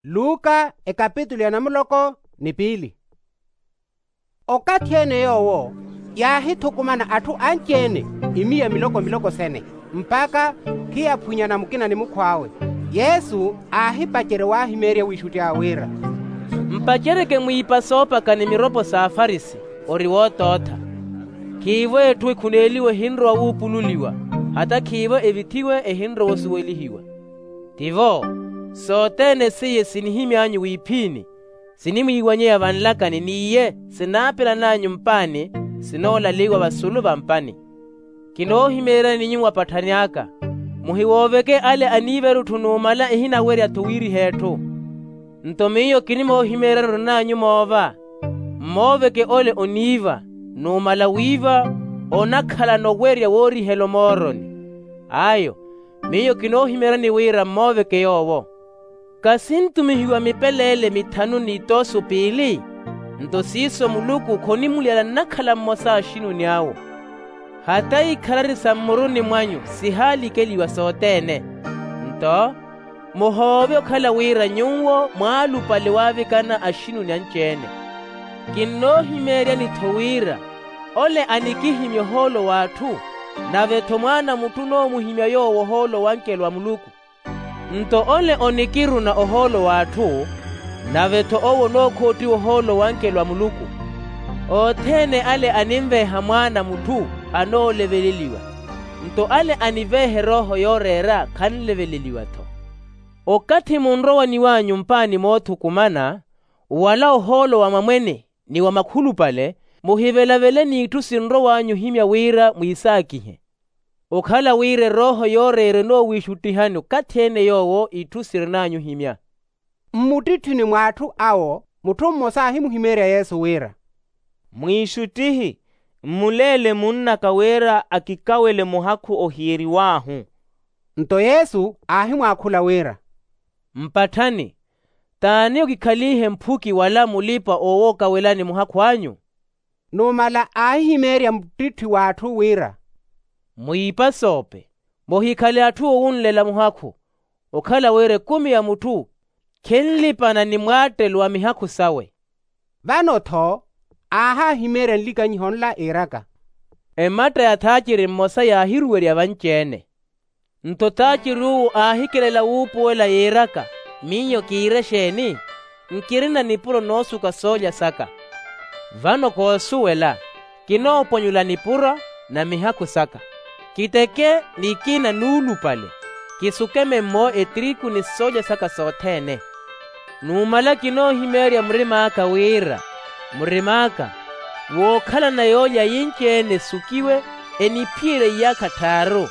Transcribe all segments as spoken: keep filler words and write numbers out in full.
Luka ekapitulu ya namuloko ni piili. Okathi ene yoowo yaahithukumana atthu anci-ene imiya miloko miloko sene, mpakha khiyaphwinyana mukina ni mukhw'awe. Yesu aahipacerya waahimeerya wiixutti awe wira, mpaceryeke mwiipa soopaka ni miropo s'afarisi ori wootootha. Khiivo etthu ekhuneeliwa ehinrowa wuupululiwa, hata khiivo evithiwe ehinrowa osuwelihiwa. Tivo, sothene seiye sinihimy'anyu wiiphiini, sinimwiiwanyeya vanlakani n'iye sinaapelan'anyu mpaani, sinoolaliwa vasulu va mpani. Kinoohimeeryani nyuwo apatthani aka, muhiwooveke ale aniiva erutthu numala ehinawerya-tho wiiriha etthu. Nto miyo kinimoohimeeryani orin'anyu moova, mmooveke ole oniiva, numala wiiva onakhalana owerya woorihela omooroni. Ayo, miyo kinoohimeeryani wira mmooveke yoowo. Kasintumihiwa mipeleele mithanu n'itoosu piili? Nto siiso muluku khonimulyala nnakhala mmosa axinuni awo. Hata ikhalari sa mmuruni mwanyu sihaalikeliwa sothene. Nto muhoove okhala wira nyuwo mwaalupale waavikana axinuni anci-ene. Kinnoohimeeryani-tho wira ole anikihimya ohoolo w'atthu, nave-tho mwaana a mutthu onoomuhimya yoowo ohoolo w'ankelo a muluku. Nto ole onikiruna ohoolo w'atthu, nave-tho owo onookhoottiwa ohoolo w'ankelo a muluku. Othene ale animveeha mwaana a mutthu, anooleveleliwa. Nto ale aniveeha erooho yooreera khanleveleliwa-tho. Okathi munrowaniw'anyu mpaani moothukumana, wala ohoolo wa mwamwene ni wa makhulupale, muhivelavele n'itthu sinrow'anyu ohimya wira mwiisaakihe. Okhala wira erooho yooreera enoowiixuttihani okathi-ene yoowo itthu sirin'anyu ohimya. Mmuttitthini mw'atthu awo mutthu mmosa aahimuhimeerya yesu wira, mwiixuttihi, mmuleele munn'aka wira akikawele muhakhu ohiyeriw'ahu. Nto yesu aahimwaakhula wira, mpatthani, t'ani okikhalihe mphuki wala mulipa-oowookawelani muhakhu anyu? Numala aahihimeerya muttitthi w'atthu wira, mwiipa soope, muhikhale atthu owunlela muhakhu, okhala wira ekumi ya mutthu khinlipana ni mwaattelo wa mihakhu sawe. Vano-tho aahahimeerya nlikanyiho nla iiraka, ematta ya thaaciri mmosa yaahiruwerya vanci-ene. Nto thaaciri uwo aahikelela wuupuwela yiiraka, miyo kiire exeeni? Nkirina nipuro noosuka soolya saka. Vano koosuwela, kinooponyula nipuro na mihakhu saka. Kiteke nikina nuulupale, kisukeme mmo etiriku ni soolya saka sothene. Numala kinoohimeerya murim'aka wira, murim'aka, wookhalana yoolya yinci-ene esukiwe, eniphiyerye iyaakha tthaaru,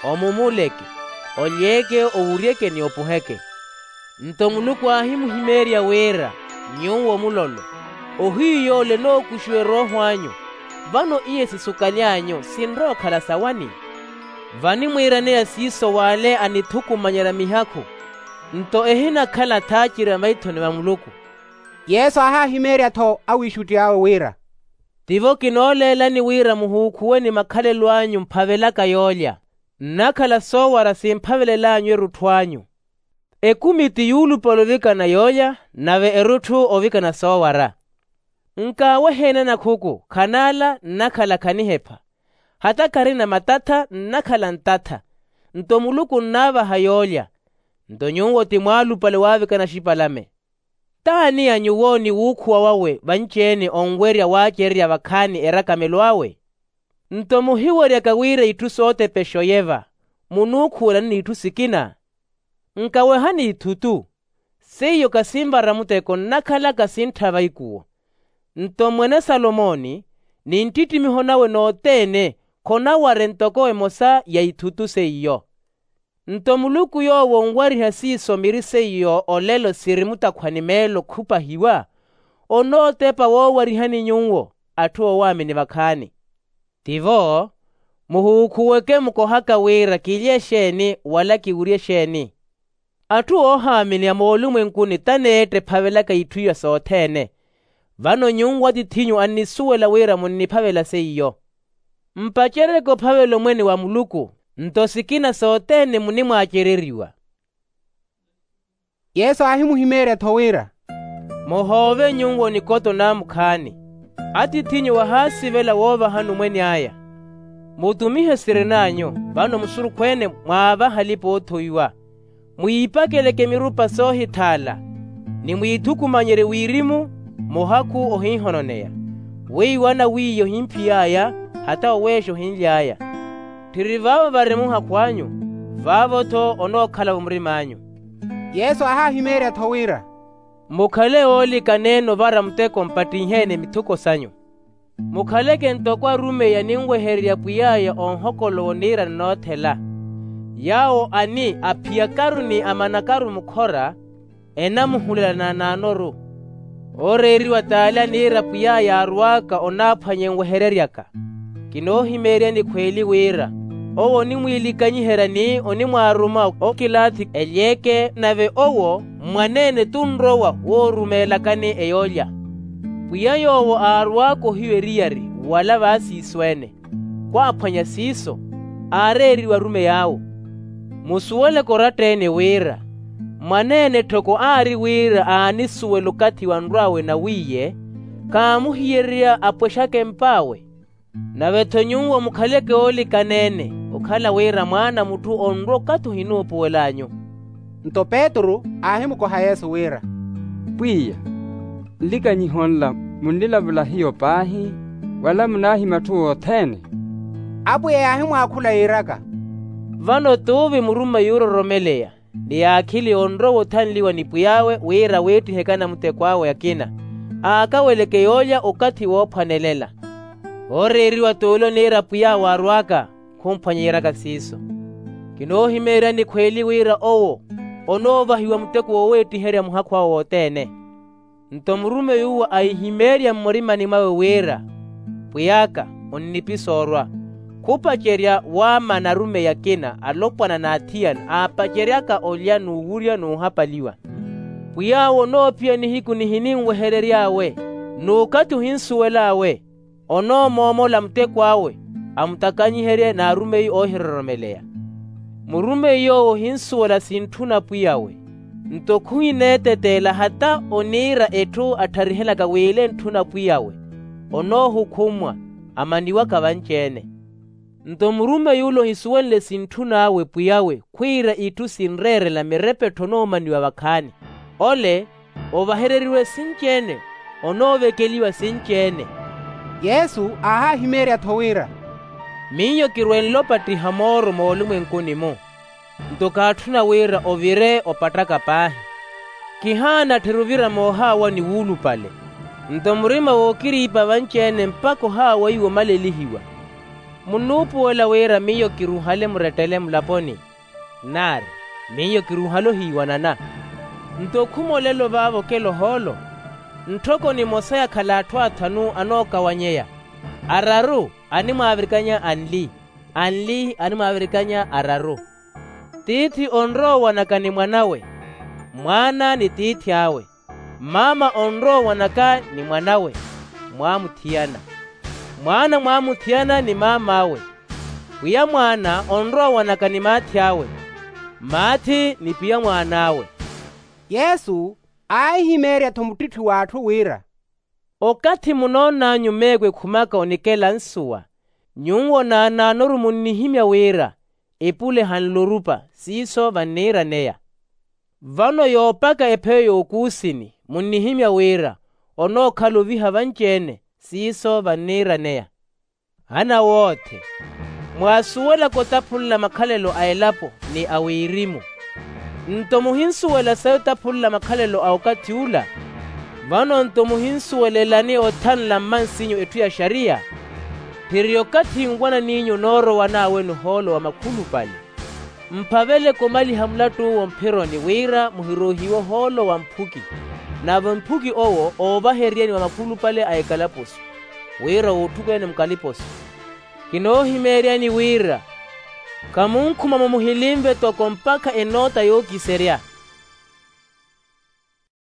omumuleke, olyeke, owuryeke ni opuheke. Nto muluku aahimuhimeerya wira, nyuwo mulolo, ohiyu yoole enookuxiwa erooho anyu, vano iye sisukaly'anyu sinrowa okhala sawani? Vanimwiiraneya siiso w'ale anithukumanyerya mihakhu, nto ehinakhala thaaciri a maithoni va muluku. Yesu aahahimeerya-tho awiixutti awe wira, tivo kinooleelani wira muhuukhuwe ni makhalelo anyu mphavelaka yoolya, nnakhala soowara simphavelel'anyu erutthu anyu. Ekumi ti yuulupale ovikana yoolya, nave erutthu ovikana soowara. Nkaaweheene anakhuku khanaala nnakhala khanihepha, hata kharina matatha nnakhala ntatha. Nto muluku nnaavaha yoolya. Nto nyuwo ti mwaalupale waavikana axipalame. T'ani ya nyuwo ni wuukhuwa wawe vanci-ene onwerya waacererya vakhaani erakhamelo awe? Nto muhiweryaka wira itthu sootepexo yeva, munuukhuwelani n'itthu sikina? Nkawehani ithutu, seiyo kasinvara muteko nnakhalaka sintthava ikuwo. Nto mwene salomoni, ni nttittimiho nawe nothene, khonaware ntoko emosa ya ithutu seiyo. Nto muluku yoowo onwariha siiso miri seiyo olelo siri mutakhwani meelo khupahiwa, onootepa woowarihani nyuwo atthu oowaamini vakhaani. Tivo, muhuukhuweke mukohaka wira kilye exeeni wala kiwurye exeeni. Atthu oohaamini a moolumwenkuni t'aneetta ephavelaka itthu iya sothene. Vano nyuwo atith'inyu annisuwela wira munniphavela seiyo. Mpaceryeke ophavela omwene wa muluku, nto sikina sothene munimwaacereriwa. Yesu aahimuhimeerya-tho wira, muhoove nyuwo nikoto naamukhaani. Atiith'inyu wahaasivela woovahani omwene aya. Mutumihe sirin'anyu vano musurukhu-ene mwaavaha alipa-oothowiwa. Mwiipakeleke mirupa soohithaala, ni mwiithukumanyerye wirimu muhakhu ohinhononeya. Weiwo anaw'iya ohimphiy'aya, hata oweexa ohinly'aya. Tthiri vaavo vari muhakhu anyu, vaavo-tho onookhala-vo murim'anyu. Yesu aahahimeerya-tho wira, mukhale oolikana-ene ovara muteko mpattihe-ene mithuko sanyu. Mukhaleke ntoko arumeyi aninwehererya pwiy'aya onhokolowa oniirana noothela. Yaawo ani aphiyakaru ni amanakaru mukhora, enamuhulela naanaanoru. Ooreeriwa t'ale aniira pwiy'aya aarw'aka onaaphwanya enwehereryaka. Kinoohimeeryani khw'eli wira, owo onimwiilikanyiherya ni onimwaaruma okilaathi elyeeke, nave owo mmwaneene tunrowa woorumeelakani eyoolya. Pwiya yoowo aarw'aka ohiwa eriyari wala vaasiiso-ene. Khwaaphwanya siiso, aareeriwa arumeyi awe. Musuweleke oratta-ene wira, mwaneene tthoko aari wira aanisuwela okathi wanrw'awe nawiiye, kaamuhiyererya apwexake emp'awe. Nave-tho nyuwo mukhaleke oolikana-ene, okhala wira mwaana a mutthu onrwa okathi ohinuupuwel'anyu. Nto petru aahimukoha yesu wira, pwiya, nlikanyiho nla munnilavula hiyo paahi, wala munaahimya atthu othene? Apwiya yaahimwaakhula yiiraka, vano t'uvi murumeyi oororomeleya ni yaakhili onrowa othanliwa ni pwiy'awe wira aweettiheke anamuteko awe akina, aakaweleke yoolya okathi woophwanelela. Ooreeriwa t'ule oniira pwiy'awe aarw'aka, khumphwanya yiiraka siiso. Kinoohimeeryani khw'eli wira owo onoovahiwa muteko wooweettiherya muhakhu awe wothene. Nto murumeyi uwo aihimeerya mmurimani mwawe wira, pwiy'aka, onnipisa orwa. Khupacerya waamana arumeyi akina alopwana n'athiyana aapaceryaka olya n'uwurya n'uhapaliwa. Pwiy'awe onoophiya nihiku nihininweherery'awe, n'ukathi ohinsuwel'awe. Onoomoomola muteko awe, amutakanyiherye n'arumeyi oohiroromeleya. Murumeyi yoowo ohinsuwela sintthuna pwiy'awe, nto khuhineeteteela hata oniira etthu attharihelaka w'ile ntthuna pwiy'awe, onoohukhumwa, amaniwaka vanci-ene. Nto murumeyi ule ohisuwenle sintthun'awe pwiy'awe khwiira itthu sinreerela mirepettho onoomaniwa vakhaani, ole ovahereriwe sinci-ene, onoovekeliwa sinci-ene. Yesu aahahimeerya-tho wira, miyo kirwenle opattiha mooro moolumwenkuni-mu. Nto kaatthuna wira ovire opattaka paahi. Kihaana tthiri ovira moohaawani wuulupale. Nto murima wookiriipa vanci-ene mpakha ohaawa iwo omalelihiwa. Munnuupuwela wira miyo kiruhale murettele mulaponi? Naari, miyo kiruhale ohiiwanana. Nto khumolelo vaavo okela ohoolo. Nttoko nimosa yakhala atthu athanu anookawanyeya, araru animwaavirikanya anli, anli animwaavirikanya araru. Tiithi onrowa owanaka ni mwan'awe, mwaana ni tiithi awe. Maama onrowa owanaka ni mwan'awe, mwaamuthiyana. Mwaana mwaamuthiyana ni maam'awe. Pwiya mwaana onrowa owanaka ni maathi awe, maathi ni pwiya mwaan'awe. Yesu aahihimeerya-tho muttitthu w'atthu wira, okathi munoon'anyu meeko ekhumaka onikela nsuwa, nyuwo naanaanoru munnihimya wira, epule hanle orupa siiso vanniiraneya. Vano yoopaka epheyo y'okuusini munnihimya wira, onookhala oviha vanci-ene siiso vanniiraneya. Anawootthe, mwaasuwelaka otaphunla makhalelo a elapo ni a wirimu, nto muhinsuwela sayi otaphunla makhalelo a okathi ula? Vano nto muhinsuwelelani othanla mmansinyu etthu ya xariya? Tthiri okathi nwanan'inyu onoorowan'awe ni ohoolo wa makhulupale. Mphaveleke omaliha mulattu'uwo mphironi wira muhiroohiwe ohoolo wa mphuki, nave mphuki owo oovahereryeni wa makhulupale a ekalaposo, wira wootthukwene mukaliposo. Kinoohimeeryani wira, khamunkhuma-mo muhilinve toko mpakha enoota yookiserya.